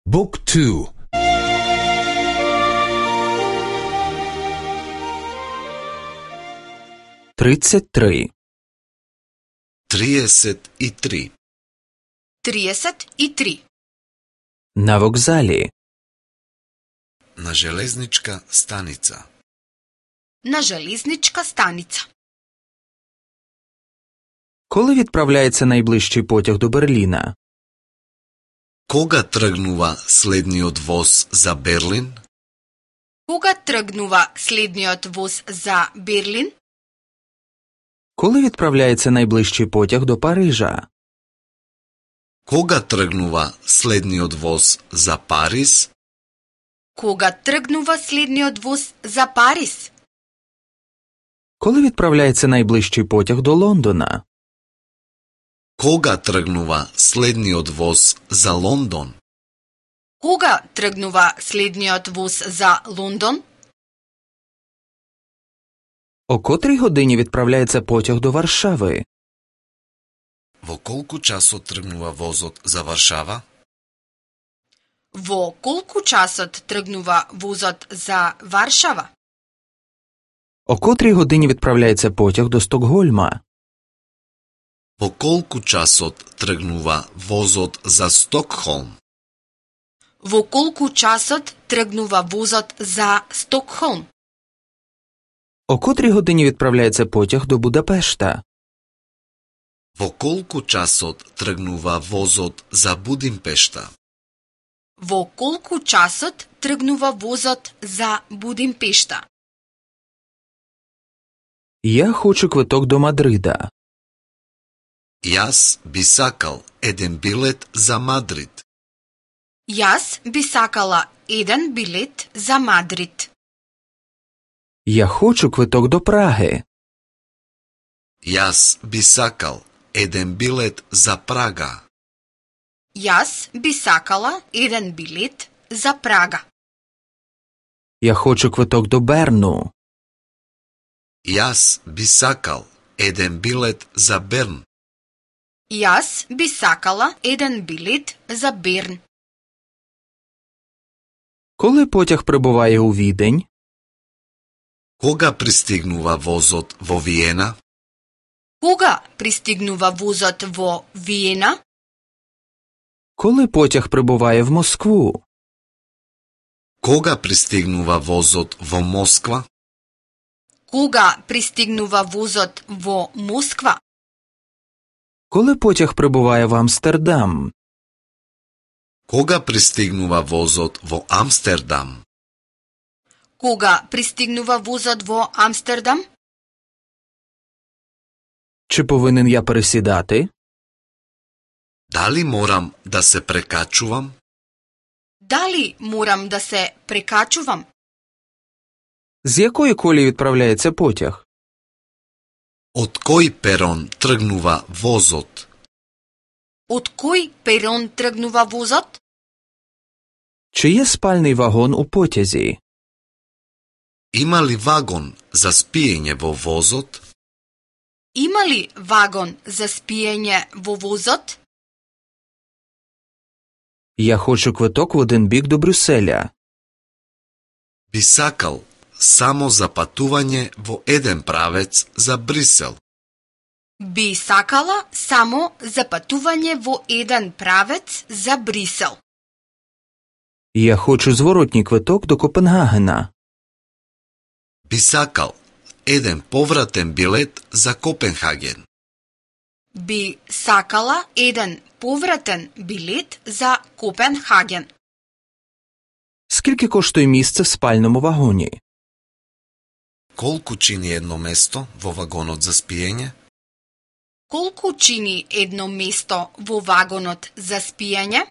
Book 2. 33. 33. 33. На вокзалі. На железничка станица. На железничка станица. Коли відправляється найближчий потяг до Берліна? Кога тргнува следниот воз за Берлин? Кога тргнува следниот воз за Берлин? Коли відправляється найближчий потяг до Парижа? Кога тргнува следниот воз за Париз? Кога тргнува следниот воз за Париз? Коли відправляється найближчий потяг до Лондона? Кога тргнува следниот воз за Лондон? Кога тргнува следниот воз за Лондон? О котрій годині відправляється потяг до Варшави? Во колку часот тргнува возот за Варшава? Во колку часот тргнува возот за Варшава? О котрій годині відправляється потяг до Стокгольма? Во колку часот тргнува возот за Стокхолм? Во колку часот тргнува возот за Стокхолм? О котрій годині відправляється потяг до Будапешта? Во колку часот тргнува возот за Будимпешта? Во колку часот тргнува возот за Будимпешта? Я хочу квиток до Мадрида. Јас би сакал еден билет за Мадрид. Јас би сакала еден билет за Мадрид. Я хочу квиток до Праги. Јас би сакал еден билет за Прага. Јас би сакала еден билет за Прага. Я хочу квиток до Берну. Јас би сакал еден билет за Берн. Јас би сакала еден билет за Берн. Коли потяг прибуває у Відень? Кога пристигнува возот во Виена? Кога пристигнува возот во Виена? Коли потяг прибуває в Москву? Кога пристигнува возот во Москва? Кога пристигнува возот во Москва? Коли потяг прибуває в Амстердам? Кога пристигнува возот во Амстердам? Кога пристигнува возот во Амстердам? Чи повинен я пересідати? Дали морам да се прекачувам? Дали морам да се прекачувам? З якої колії відправляється потяг? Од кој перон тргнува возот? Од кој перон тргнува возот? Чи є спальний вагон у потязі? Има ли вагон за спиење во возот? Има ли вагон за спиење во возот? Я хочу квиток в один бік до Брюсселя. Би сакал само за патување во еден правец за Брисел. Би сакала само за патување во еден правец за Брисел. Я хочу зворотній квиток до Копенгагена. Би сакал еден повратен билет за Копенхаген. Би сакала еден повратен билет за Копенхаген. Скільки коштує місце в спальному вагоні? Колку чини едно место во вагонот за спиење? Колку чини едно место во вагонот за спиење?